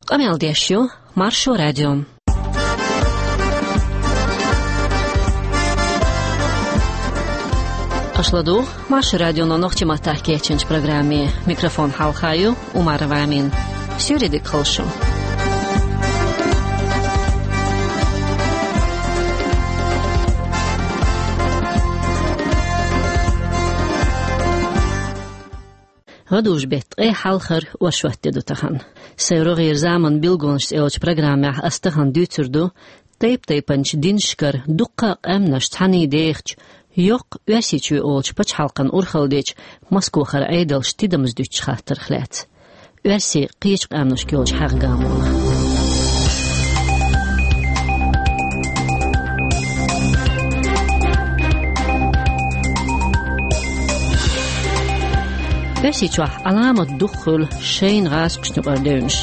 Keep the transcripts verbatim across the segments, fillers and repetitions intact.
Къамел деш ю Маршо радио. Аша ладугӀу Маршо радион нохчийн маттахь кечйинчу программе. Микрофон хьалха ю Умарова Амина. Суьйре дика хуьлда шун. ГӀадужу-беттан ткъе хьалхара оршот де ду тахана. Сайн рогӀера заман билгалонаш цӀе йолчу программехь ас тахана дуьйцур ду тайп-тайпанчу динашкара дуккха а къаьмнаш цхьаьна дехачу, йоккха Оьрсийчоь олучу пачхьалкхан урхалдечу Москохара Ӏедалш тидамза дуьтучу хаттарх лаьцна. Оьрсийн кхечу къаьмнашка йолчу хьагӀ-гамонах. Оьрсийчохь Ӏаламат дукха хуьлу шайна гӀазкхашна юкъара девнаш.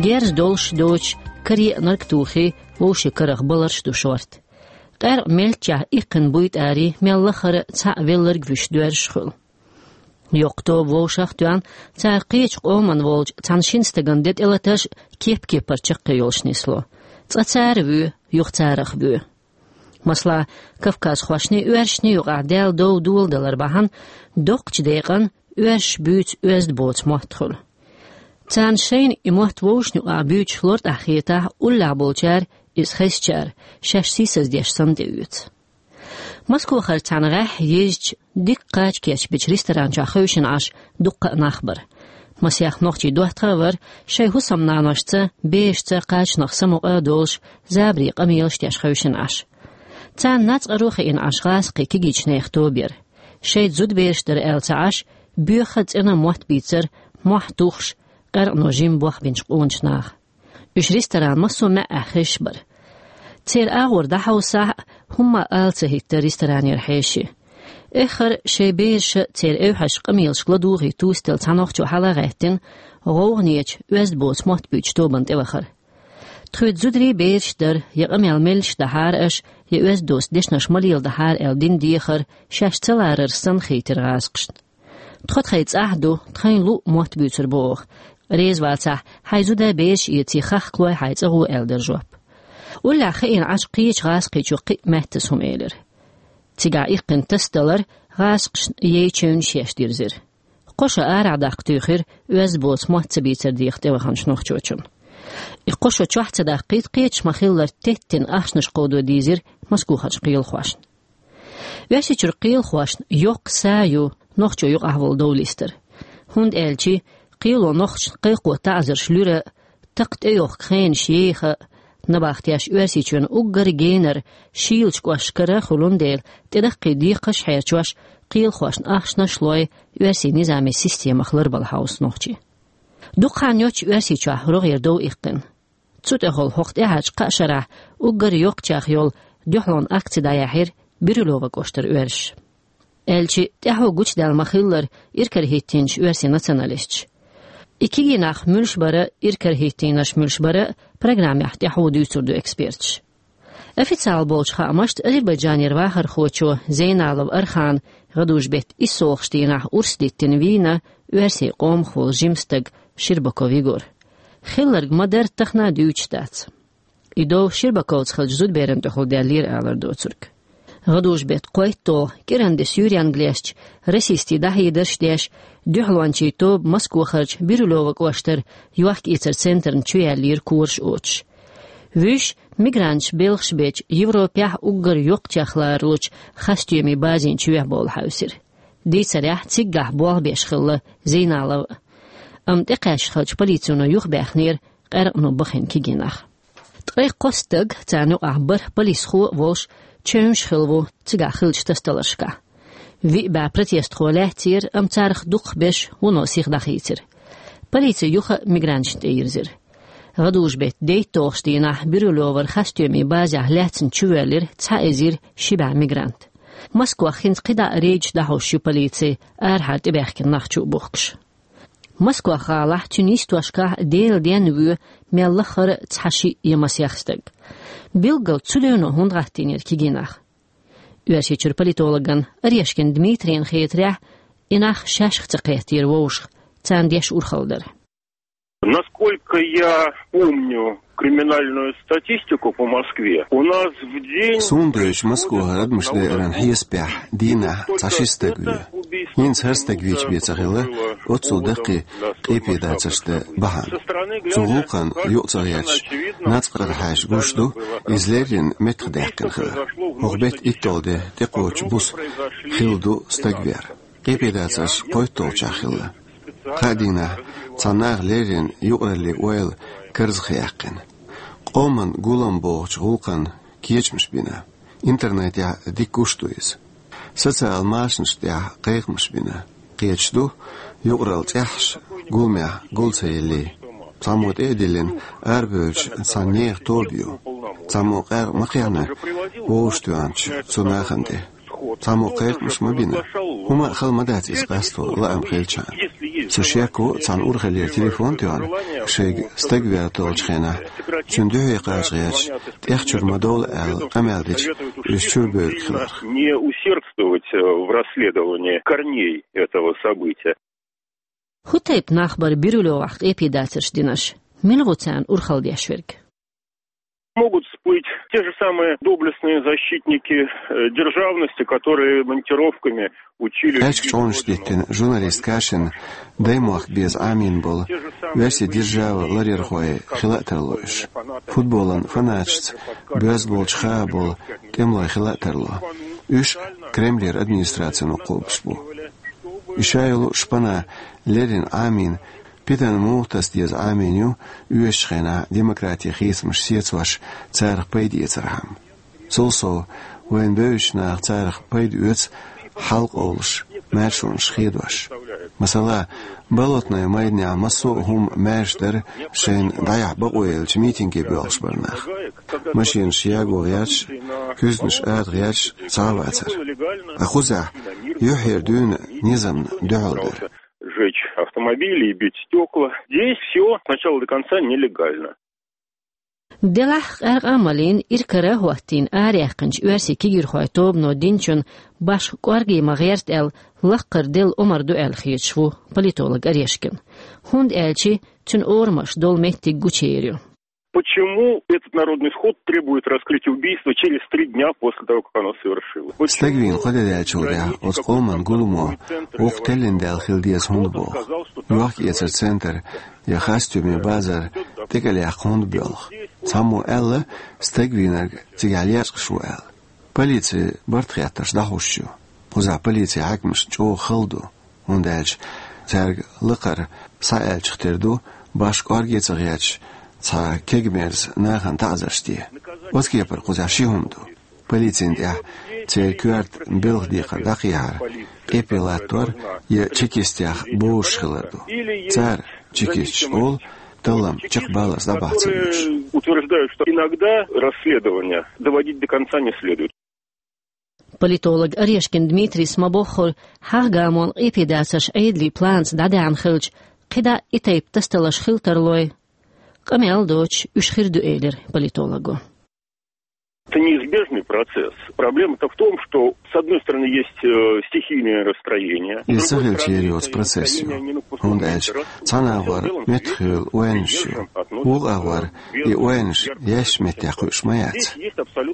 Герз долуш доцуш, каре а нарг тухий, вовшийн карах баларш а ду шорта. Къаьркъа меллачех иккхина буйтӀарий мел лахара цхьаъ велларг вуьш доьрзуш хуьлу. Йоккха тоба вовшах а тоьхна, цара кхечу къоман волчу цхьана шина стагана де тӀелатарш а кеп-кепара чаккхе йолуш нисло. Цкъа цара воь, юха царах воь. Масала, кавказхошний, оьрсашний юкъахь Дала дов доладалар бахьана, доккхачу декъана оьрсаша буьйцу оьзда боцу мотт хуьлу. Царна шайна и мотт вовшашна юкъахь буьйцуш лартӀехь хетахь, уллехь болчара, иза хезчара, шаьш сийсаздеш санна тӀеоьцу. Москохара цхьана гӀеххьа езачу, дика кхача кечбечу ресторан чохь хевшина Ӏаш дуккха а нах бара. Масех нохчий доттагӀа а вара, шайн хӀусамнаношца, берашца кхачанах самукъа а долуш, забаре къамелаш деш хевшина Ӏаш. Царна нацкъаро а хиъна Ӏаш гӀазкхийн кегийчу нехан тоба яра. Шайн зудабераш дара аьлла ца Ӏаш, боьха а цӀена а мотт бийцара, мохь тухуш, къаьркъано жимма болх бинчу къоначу наха. Уьш ресторан массо а маьӀӀехь хезаш бара. Церан агӀор дӀахьовсахь а, хӀумма а ала ца хӀиттара ресторанера хьеший. Эххар а шайн бераша а, церан эвхьаша къамелашка ладугӀий туссаделла цхьа нохчо хьала а гӀаьттина, гӀовгӀанечу, оьзда боцу мотт буьйцучу тобанна тӀевахара. Тхоьца зударий а, бераш а дара, я къамел меллаша дахьара аша, я оьзда доцу дешнаш ма леладахьара аьлла дина дехар шаьш ца ларарца санна хийтира гӀазкхашна. Тхо тхайн цӀахь ду, тхайна луъу мотт буьйцур бу оха. Реза вацахь, хьайн зуда-бераш а эций, хахкалой хьайн цӀа гӀо, аьлла дара жоп. Уллехь хиъна Ӏаш кхечу гӀазкхичо кхин а маьттаза хӀума элира. Цигахь иккхина тасадалар гӀазкхашна яй чевнаш еш дирзира. Кхо шо арахь даккха туьйхира оьзда боцу мотт ца бийцар деха тӀеваханчу нохчочунна. И кхо шо чохь ца даккхийта, кхечахь ма-хиллара теттина ахчанаш кховдо дийзира Москохарчу кхелахошна. Оьрсийчуьра кхелахошна йоккха са ю нохчо юкъахь волу дов листар. ХӀунда аьлча кхело нохчашна кхайкхо таӀзарш луьра а, такха тӀейохка хенаш еха а, набахтеш Оьрсийчоьнан уггар генара шийлачу кӀошташкара хуьлун дела, тӀедаккхий декхарш а хьерчош, кхелахошна ахчанаш а лой, оьрсийн низамийн системах ларбала хьовса нохчий. Дукха хан йоццуш Оьрсийчохь рогӀера дов иккхина. Цу тӀехула хӀокху тӀаьхьарчу кхаа шарахь уггар йоккхачех йолу дуьхьалонан акци дӀаяьхьира Бирюлёво кӀоштара оьрсаша. Аьлча, тӀаьхьо гучудаьлла ма-хиллара иракарахӀиттийначу оьрсийн националисташа. И кегий нах муьлш бара, иракарахӀиттийнарш муьлш бара, программехь тӀаьхьо дуьйцур ду эксперташа. Официал болчу хаамашца, Азербайджанера вахархочо Зейналов Архана гӀадужу-беттан иссолгӀачу дийнахь урс диттина вийна оьрсийн къомах волу жима стаг Щербаков Егор. Хилларг ма-дарра тахана а дуьйцуш дац. И дов Щербаковца хиллачу зудаберан тӀехула даьллера алар доцург. ГӀадужу-беттан кхойтталгӀа кӀиранде суьйренга лаьцначу расистийн дӀахьедарш а деш, дуьхьалончийн тоба Москохарчу Бирюлёво кӀоштара йохк-эцаран центрна чу яьллера кораш оцуш. Вуьш мигранташ белхаш бечу Европехь уггар йоккхачех ларалучу хастемийн базин чоьхьа бовла хьаьвсира. Дийцарехь, циггахь болх беш хилла Зейналов а. Амма тӀекхаьчча хиллачу полицино юхабаьхнера къаьркъано бахийна кегий нах. Ткъе кхо стаг, царна юкъахь бархӀ полисхо а волуш, чевнаш хилла ву цигахь хиллачу тасадаларшкахь. Виъ бӀе протестхо лаьцнера, амма царах дукхахберш вуно сиха дӀахийцира. Полици юха а мигранташна тӀейирзира. ГӀадужу-беттан дейтталгӀачу дийнахь Бирюлёвара хастемийн базехь лаьцна чувоьллира цхьа эзар ши бӀе мигрант. Москох хӀинца кхидӀа а рейдаш дӀахьош ю полици, арахьара тӀебаьхкина нах чу а бухкуш. Москох-гӀалахь, цуьнан йистошкахь Делан денна воь мел лахара цхьа, шиъ я масех стаг. Билггал цу девно хӀунда гӀаттийнера кегий нах? Оьрсийчуьра политологна Орешкин Дмитрийна хетарехь, и нах шаьшшиъ ца кхеттера вовшах, царна деш урхалла дара. Насколько я помню криминальную статистику по Москве, у нас в день... Суна дуьйцу Москвахь адамаш дайаран хьесапехь дийнахь цхьа ши стаг ву. ХӀинца хӀара стаг вийча бен ца хилла, оццул даккхий къепе дацарш дан бахьана. Цу гӀуллакхана юкъа ца гӀерташ, нацкъархьаьрчаша гуш ду, иза леррина меттахдаьккхина хилар. ХӀокху беттан итталгӀа де тӀекхочучу буса хилла ду стаг вер. Къепе дацарш кхойтталгӀачохь хилла. Кхаа дийнахь цхьана наха леррина юкъараллин ойла карзахъяьккхина. Къоман гулам бохучу гӀуллакхана кечамаш бина. Интернетехь дика гуш ду иза. Социал машанаш тӀехь кхайкхамаш бина. Кхеташ ду, юкъаралла цӀеххьана гуламехь гул ца елли. Цхьаммо тӀе а диллина, арабевлча цхьана нехан тоба ю. Цхьаммо къаьркъа ма кхехьна вовшахтоьхначу цу нахана тӀе. Цхьаммо кхайкхамаш ма бина. ХӀума а хала ма дац иза къасто, лаам хилчахьана. Со шек ву, цхьана урхаллера телефон а тоьхна, шайга стаг вер толлучу хенахь, цуьнан дуьхье кхача гӀерташ, тӀех чуьра ма довла аьлла, къамел дича, уьш чуьра бевлла хилар. Не усердствовать, э, в расследовании корней этого события. ХӀун тайпа нах бара Бирюлевехь къепе дацарш динарш? Мила ву царна урхалла деш верг? Могут всплыть те же самые доблестные защитники, э, державности, которые монтировками учили... Аьчка чӀогӀанаш диттина журналист Кашин даймохк беза Ӏамийна болу, оьрсийн держава ларъярхой хила а тарло уьш. Футболан фанаташца боьзна болчу хаан болу тӀемалой хила а тарло. Уьш Кремлера администрацино кхобуш бу. И ша йолу шпана леррина Ӏамийна, питана муха таса деза Ӏамийна ю, оьшучу хенахь демократин хийцамаш сецош, царах пайда эцархьама. Цул сов, вайна бевзачу наха царах пайда оьцу хьал къовлуш, маьршонаш хедош. Масала, Болотной майданехь массо а хӀума маьрша дара, шайна дӀаяхьа бакъо елча митинге боьлхуш бара нах. Машенаш яго гӀерташ, куьзганаш ада гӀерташ цхьа а вацара. Ткъа кхузахь юьххьера дуьйна низамна дуьхьал дара. Сжечь автомобили и бить стекла. Здесь всё с начала до конца нелегально. Делахь къаьркъа а малийна, иракара а хӀоттийна, араяьккхинчу оьрсийн кегийрхойн тобано динчунна башха кӀорге ма гӀерта аьлла, лаккхара делла омра ду аьлла хеташ ву политолог Орешкин. ХӀунда аьлча цуьнан орамаш долу меттиг гучуер ю. Почему этот народный сход требует раскрытия убийства через три дня после того, как оно совершилось? Стаг вийна кхо де даьллачул тӀаьхьа оцу къоман гуламо вукху теллина даьлла хила деза хӀунда боху? Йохк-эцаран центр я хастуьмийн базар тӀекӀел яккха хӀунда боьлху? Цхьаммо аьлла, стаг вийнарг цигахь лечкъаш ву аьлла. Полици барт хеттарш дӀахьуш ю. Кхузахь полицин хьаькамаш чӀогӀа хала ду, хӀунда аьлча цаьрга лакхара схьааьллачух тера ду башха кӀорге а ца гӀерташ, цхьа кегамерза нахана таӀзарш де. Оцу кепара кхузахь ши хӀума ду. Полицина тӀехь церан коьрта белхан декхар дӀакхехьар, къепе латтор я чекистех бовзуш хилар ду. Цара, чекисташа, олу, таллам чекхбаллалц дӀабахьа ца везаш. Которые утверждают, что иногда расследование доводить до конца не следует. Политолог Орешкин Дмитрийс ма-боххура, хьагӀ-гамонан къепе дацарш Ӏедалийн планца дӀадаьхьна хилча, кхидӀа и тайпа тасадаларш хила тарлой. Къамел доцуш уьш хир ду, элира политолого. Это неизбежный процесс. Проблема-то в том, что, с одной стороны, есть, э, стихийные расстроения. Иза ца хилча ер йоцу процесс ю, хӀунда аьлча цхьана агӀор меттахъевлла ойланаш ю, вукху агӀор и ойланаш яьшначу меттехь кхуьуш ма яц.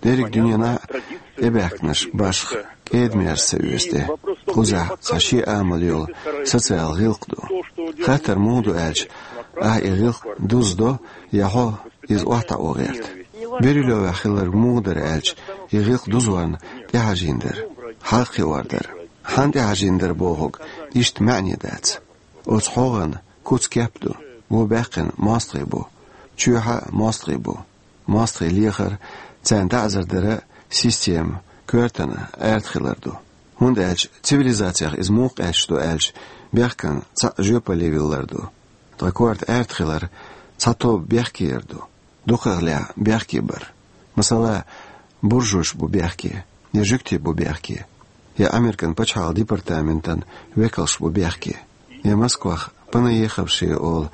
Дерриг дуьненахь а тӀебаьхкинарш башха кӀеда-мерза ца оьцу тӀе. Кхузахь цхьа шен амал йолу социал гӀиллакх ду. Хаттар муха ду аьлча, ахь и гӀиллакх дузадо я хьо иза охьатаӀо гӀерта. Бирюлевехь хилларг муха дара аьлча, и гӀиллакх дузорна тӀехьажийна дара, хьагӀ кхиор дара. Хьанна тӀехьажийна дара бохург иштта маьӀне дац. Оцу хьогӀан куц кеп ду, вон баьккхина мостагӀий бу, чоьхьа а мостагӀий бу. МостагӀий лехар, царна таӀзар дар система коьртана аьрта хилар ду. ХӀунда аьлча цивилизацех иза муха къаьсташ ду аьлча, бехкан цхьаъ жоьпалле виллар ду. Ткъа корта аьрта хилар цхьа тоба бехке яр ду. Дукхахлехь бехке бар. Масала, буржуш бу бехке, я жуьгти бу бехке, я Американ пачхьалкхан департаментан векалш бу бехке, я Москвах Панаеховши олу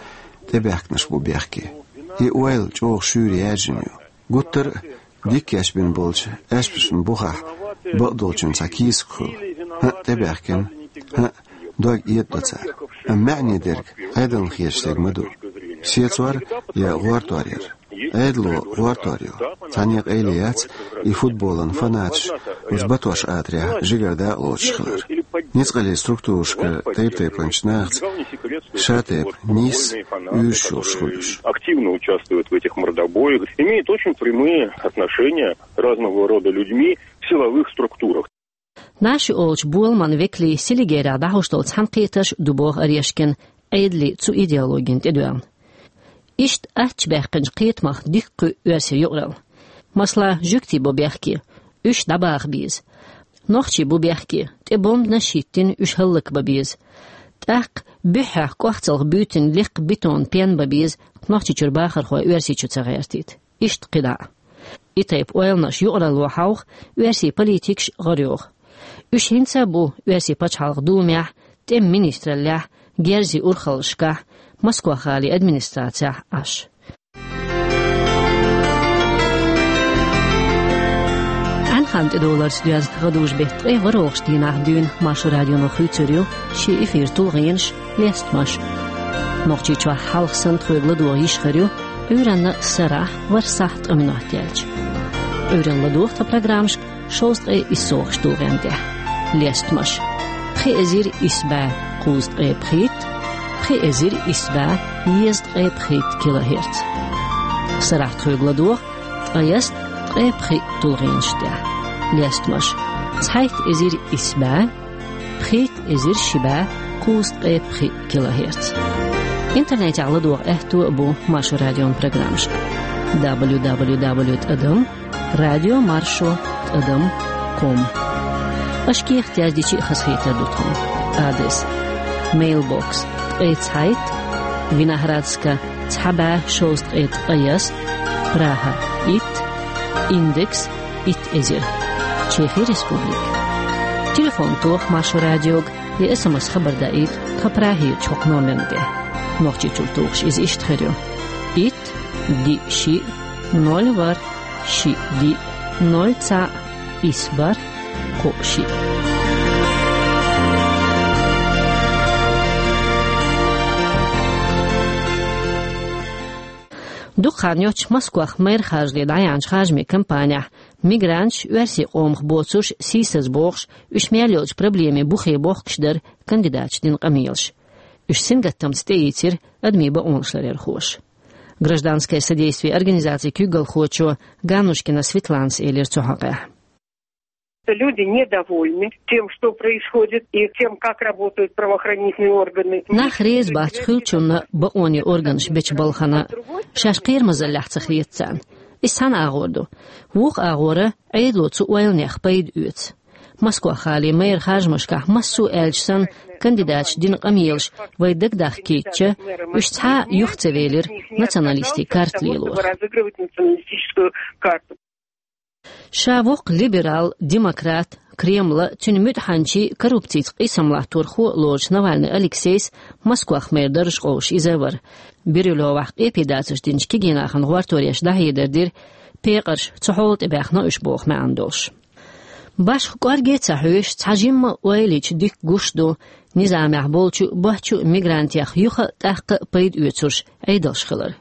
тӀебаьхкинарш бу бехке. И ойла чӀогӀа шуьйра яьржина ю. Гуттар а дика кечбина болчу аьшпашна бухахь бакъдолчун цхьа кийсак хуьлу. ХӀаъ, тӀебаьхкина, хӀаъ, дог эдадо цара. Амма маьӀне дерг Ӏедална хеташ дерг ма ду. Сецор я гӀортор яр. Ӏедало гӀортор ю. Цхьанне къайле яц и футболан фанаташ уж батош атарехь жигара дакъа лоцуш хилар. Ницкъаллин структурашкара тайп-тайпанчу нахаца ша тайпа нийсса уьйраш йолуш хуьлуш. Активно участвуют в этих мордобоях, имеют очень прямые отношения разного рода людьми в силовых структурах. Наши олучу боламан векалийн Селигерехь дӀахьош долу цхьаьнакхетарш ду боху Орешкина, Ӏедалан цу идеологина тӀедоьгӀна. Иштта аттачу баьккхинчу кхетамах дика кхуьу оьрсийн юкъаралла. Масала, жуьгтий бу бехке, уьш дӀабаха беза. Нохчий бу бехке, тӀе бомбанаш хӀиттина, уьш хӀаллакбан беза. ТӀаккха буьххьехь кӀохцалх буьйтина лекха бетон пен бан беза, Нохчийчуьра бахархой Оьрсийчу ца гӀертийта. Иштта кхидӀа а. И тайпа ойланаш юкъаралло хьовха, оьрсийн политикаш гӀара йоху. Уьш хӀинца а бу оьрсийн пачхьалкхан думехь, тӀеман министраллехь, герзийн урхаллашкахь, Москва-гӀалин администрацехь Ӏаш. Ӏаьнхан тӀедовларца доьзна гӀадужу беттан ткъе ворхӀалгӀачу дийнахь дуьйна Маршо радионо хуьйцур ю шен эфиран тулгӀенаш, лестамаш. Нохчийчохь хьалха санна тхоьга ладогӀа йиш хир ю Ӏуьйранна сарахь ворхӀ сахьт ткъа минот яьлча. Ӏуьйранна ладогӀа тхан программашка шовзткъе исс согӀуш тулгӀенна тӀехь. Лестамаш: пхи эзар исс бӀе кхузткъе пхийтта, пхи эзар исс бӀе езткъе пхийтта килогерц. Сарахь тхоьга ладогӀа ткъайесна ткъе пхиъ тулгӀенаш тӀехь. Лестамаш: цхьайтта эзар исс бӀе пхийтта эзар ши бӀе кхузткъе пхиъ килогерц. Интернетехь ладогӀа аьтто а бу Маршо радион программашка: дабл ю дабл ю дабл ю тӀадам радио маршо тӀадам ком. Аша кехат яздича а хазахетар ду тхуна. Адрес: мейлбокс, ткъе цхьайтта, Виноградская, цхьа бӀе шовзткъе ткъайесна, Прага, итт, индекс, итт эзар, Чехин Республика. Телефон тоха Маршо радиога я СМС хабар даийта тхан Прагерчу хӀокху номерна тӀе. Нохчийчуьра тухуш иза иштта хир ю: итт, диъ, шиъ, ноль, ворхӀ, шиъ, диъ, ноль, цхьаъ, исс, бархӀ, кхоъ, шиъ. Дукха хан йоццуш Москвахь мэр харжале дӀаяьхьначу харжамийн кампанехь мигранташ, оьрсийн къомах боцурш, сийсаз бохуш, уьш мел йолчу проблемийн бухе бохкуш дара кандидаташа дина къамелаш. Уьш сингаттамца тӀеийцира адамийн бакъонаш ларъярхоша. Гражданское содействие организацин куьйгалхочо Ганнушкина Светланас элира цу хьокъехь. Люди недовольны тем, что происходит, и тем, как работают правоохранительные органы. Нах реза бац хуьлучунна бакъонийн органаша бечу балхана. Шаьш кхерамазаллехь ца хета царна. Иза цхьана агӀор ду. Вукху агӀора Ӏедало цу ойланех пайда оьцу. Москва-гӀалин мэр харжамашкахь массо а аьлча санна, кандидаташа дина къамелаш вай дагадахкийтича, уьш цхьа а юха ца велира националистийн карта лелорах. Ша воккха либерал, демократ, Кремлан, цуьнан муьтӀахьанчийн, коррупцица къийсам латторхо лоруш Навальный Алексейс Москвах мэр даржа къовсуш иза а вара. Бирюлевах къепе дацарш динчу кегийнахана гӀортореш дӀахьедар дира, пекъарш цу хьола тӀе баьхна уьш боху маьӀна долуш. Башха кӀорге а ца хьоьжуш, цхьа жимма а ойла йича дика гуш ду низамехь болчу а, боьхначу а мигрантех юха а, тӀаккха а пайда оьцурш Ӏедалш хилар.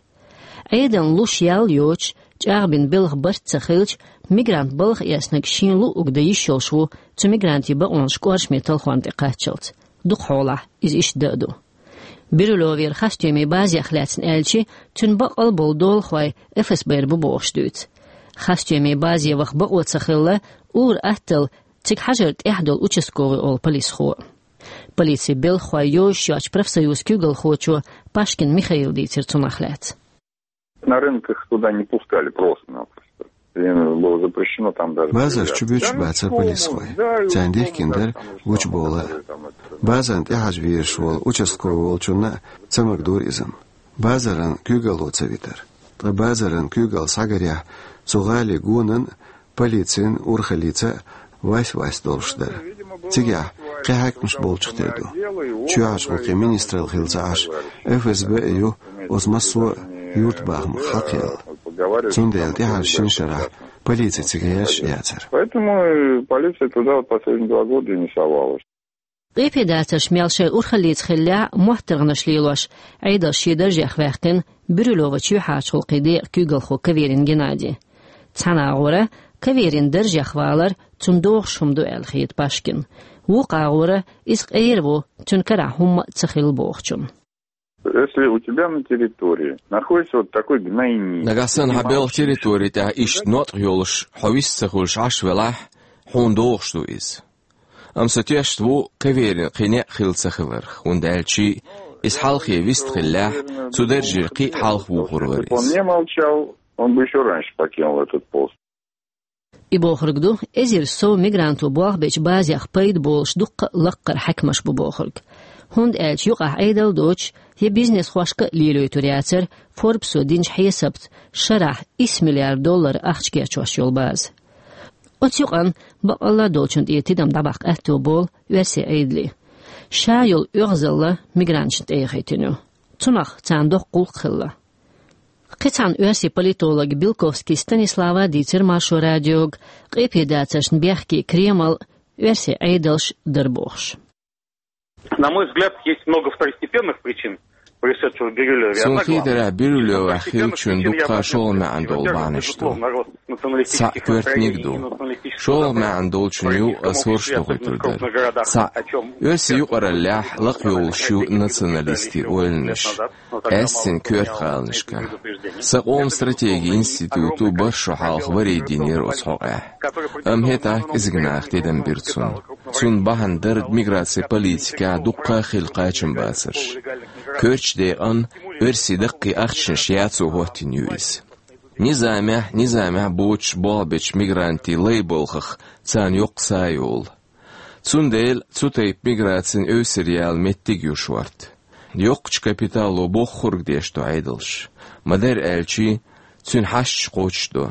Ӏедална луш ял йоцуш, чӀагӀбина белхан барт ца хилча, мигрант балха эцнарг шена луъург дан йиш йолуш ву цу мигрантийн бакъонаш кӀоршаме талхорна тӀе кхаччалц. Дукха хьолахь иза иштта дан а ду. Бирюлевера хастомийн базех лаьцна аьлча, цуьнан баккъал болу долахой ФСБ-ра бу бохуш дуьйцу. Хастомийн базе ваха бакъо ца хилла, ур-атталла цига хьажар тӀехь долу участковый олу полисхо. Полицин белхахой йозуш йоцчу профсоюзан куьйгалхочо Пашкин Михаила дийцира цунах лаьцна. На рынок их туда не пускали просто-напросто. Им было запрещено там даже... Базар чу буьтуш бацара полисхой. Царна дихкина дара гучубовла. Базарна тӀехьажа везаш волу участковый волчунна а ца магадора иза-м. Базаран куьйгалло ца витара. Ткъа базаран куьйгалла схьагарехь, цу гӀалин гонан а, полицин урхаллица а вайс-вайс долуш дара. Цигахь кхин хьаькамаш болчух тера ду. Чоьхьарчу гӀуллакхийн министралла хилла ца Ӏаш, ФСБ а ю оцу массо а юьртабахамах хьакхъяьлла. Цундела тӀаьхьарчу шина шарахь полици цига гӀерташ а яцара. Поэтому и полиция туда вот последние два года и не совалась. Къепедацарш мел шоай урхаллица хиллехь а, моттаргӀанаш лелош, Ӏедал шен даржех ваьккхина Бирюлёва чоьхьарчу гӀуллакхийн декъан куьйгалхо Каверин Геннадий. Цхьана агӀора Каверин даржех валар цунна догӀуш хӀума ду аьлла хета Пашкина. Вукху агӀора иза къера ву, цуьнан карахь хӀумма а ца хилла бохучунна. Если у тебя на территории находится вот такой гнойник, нагахь санна хьан белхан территори тӀехь иштта ноткъа йолуш, хьо вист ца хуьлуш Ӏаш велахь, хьуна догӀуш ду иза. Амма со тешна ву Каверин кхин некъ хилла ца хиларх, хӀунда аьлча иза хьалхе вист хиллехь, цу даржера кхин а хьалха вухур вара иза. Он не молчал, он бы ещё раньше покинул этот пост. И бохург ду, эзар сов мигранто болх бечу базех пайда болуш дуккха а лаккхара хьаькамаш бу бохург. ХӀунда аьлча юкъахь Ӏедал доцуш, я бизнесхошка а лелойтур яцара, Форбсо динчу хьесапца, шарахь исс миллиард доллар ахча кечъеш йолу база. Оцу юкъана бакъалла долчунна тӀе тидам дӀабаккха аьтто болу оьрсийн Ӏедале. Ша йолу оьгӀазалла мигранташна тӀе яхийтина ю. Цунах царна доккха гӀуллакх хилла. Кхин цхьана оьрсийн политолога Белковский Станислава дийцира Маршо радиога, къепедацаршна бехке Кремль, оьрсийн Ӏедалш дара бохуш. На мой взгляд, есть много второстепенных причин, происшедшего в Бирюлёве. Суна хетарехь, Бирюлёвехь хиллачун дуккха шолгӀа маьӀна долу бахьанаш ду. Цхьаъ коьртаниг ду. ШолгӀа маьӀна долчун ю ас хӀорш дохуьйтур дара. Цхьаъ, оьрсийн юкъараллехь лакха йолуш ю националистийн ойланаш, къаьсттина коьрта гӀаланашкахь. Сан къоман стратегин институту бархӀ шо хьалха вари динера оцу хьокъехь. Амма хӀетахь кӀезиг наха тидам бира цунна. Цунна бахьана дара миграцин политикехь дуккха а хилла кхачамбацарш. Коьртачу декъана оьрсийн даккхий ахчанаш яцо хӀоттийна ю иза. Низамехь, низамехь боцуш болх бечу мигрантийн лай балхах царна йоккха са йолу. Цундела цу тайпа миграцин эвсара яла меттиг ю шорта. Йоккхачу капитало боххург деш ду Ӏедалш. Ма-дарра аьлча, цуьнан хьашташ кхочушдо.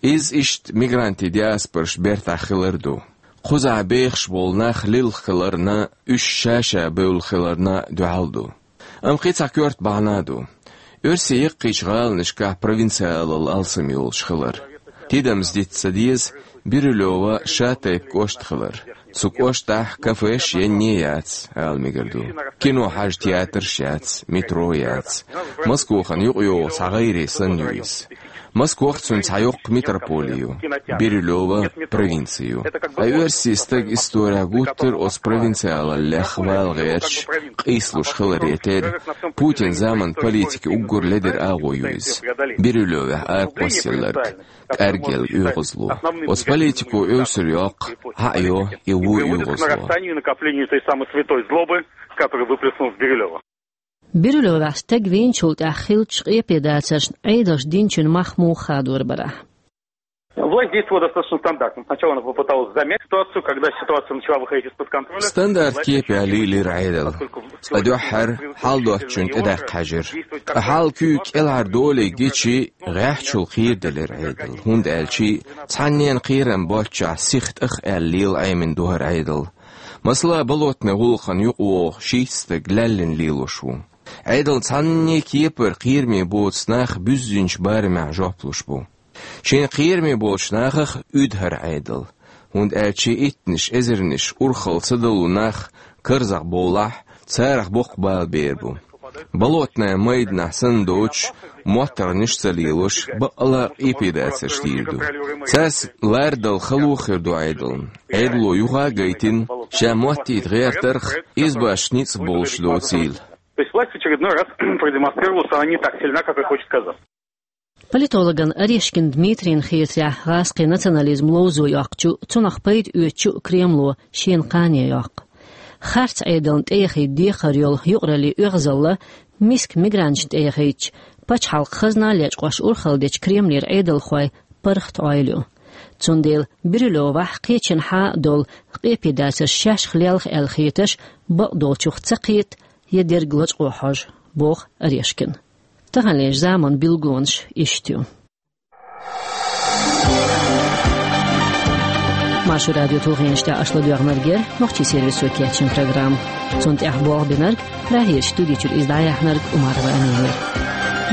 Иза иштта мигрантийн диаспораш бертахь хилар ду. Кхузахь бехаш болу нах лилха хиларна, уьш ша-ша бевлла хиларна дуьхьал ду. Амма кхин цхьа коьрта бахьана а ду. Оьрсийн яккхийчу гӀаланашкахь провинциалалла алсам йолуш хилар. Тидамца дита ца деза Бирюлёва шатайпа кӀошт хилар. Цу кӀоштахь кафеш енне яц, ала мегар ду. Кино хьажа театрш яц, метро яц. Москохана юкъайогӀу цхьа гӀайре санна ю иза. Москох цуьнан цхьа йоккха метрополи ю, Бирюлёва провинци ю. Ткъа оьрсийн стага исторехь гуттар а оцу провинциалаллех вала гӀерташ, къийсалуш хиларе терра, Путин заман политика уггар ледара агӀо ю иза. Бирюлёвехь аракхоссалларг, кӀаргъелла оьгӀазло. Оцу политико эвсара йоккху, хьа а йо и вон оьгӀазло. Приводит к разрастанию и накоплению той самой святой злобы, которую выплеснул в Бирюлёво. Бирюлёвехь стаг вийначул тӀаьхьа хиллачу къепедацаршна Ӏедалша динчун мах муха хадор барахь. Власть действовала достаточно стандартно. Сначала она попыталась замять ситуацию, когда ситуация начала выходить из-под контроля. Стандарт кепехь лийлира Ӏедал. Ткъа дуьххьара хьал доцучунна тӀедаккха хьаьжира. Ткъа хьал куьйга кӀелхьардолий гичи, гӀеххьачул кхераделира Ӏедал, хӀунда аьлча цхьаннена кхерам боцчохь сиха тӀах аьлла лела Ӏемина ду хӀара Ӏедал. Масала, Болотный гӀуллакхана юкъавогӀу шийтта стаг лаьллина лелош ву. Ӏедална цхьанне кепара кхераме боцу нах буьззинчу барамехь жоп луш бу. Шайна кхераме болчу нахах уьду хӀара Ӏедал, хӀунда аьлча иттанаш эзарнаш урхалла ца далу нах карзахбовлахь, царах боккха бала бер бу. Болотная майданахь санна доцуш, моттаргӀанаш а ца лелош, бакъалла а къепедацарш дийр ду. Цаьрца лардала хало хир ду Ӏедална. Ӏедало юха а гайтина, ша моттийта гӀертарх, избаш ницкъ болуш доцийла. То есть власть в очередной раз продемонстрировала, что она не так сильна, как и хочет казаться. Политологан Орешкин Дмитрийна хетарехь, гӀазкхийн национализм ловзо йоккхучу, цунах пайда оьцучу Кремло шена кхане йоккху. Харц Ӏедална тӀеяхийта декхар йолу юкъараллин оьгӀазалла миска мигранташна тӀеяхийтича, пачхьалкхан хазна лечкъош урхалла дечу Кремлера Ӏедалхойн паргӀат Ӏойла ю. Цундела Бирюлёвехь кхечанхьа а долу къепедацарш шаьшка лелха аьлла хеташ, бакъдолчух ца кхета, я дерг лачкъо хьожу, боху Орешкина. Таханлерчу заманан билгалонаш иштта ю. Маршо радион тулгӀенаш тӀехь аша ладоьгӀнарг яра нохчийн сервисо кечйина программа. Цунна тӀехь болх бинарг, Прагерчу студи чуьра иза дӀаяьхьнарг Умарова Амина яра.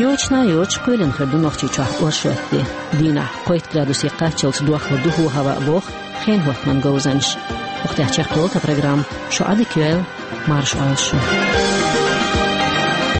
Йочана йоцуш кхоьлина хир ду Нохчийчохь оршотан де. Дийнахь кхойтта градусе кхаччалц дохлур ду хӀаваъ, боху хенан хӀоттаман говзанчаша. Хтяхчехкъола та программа. Шо Ӏадика йойла, марша Ӏойла шо.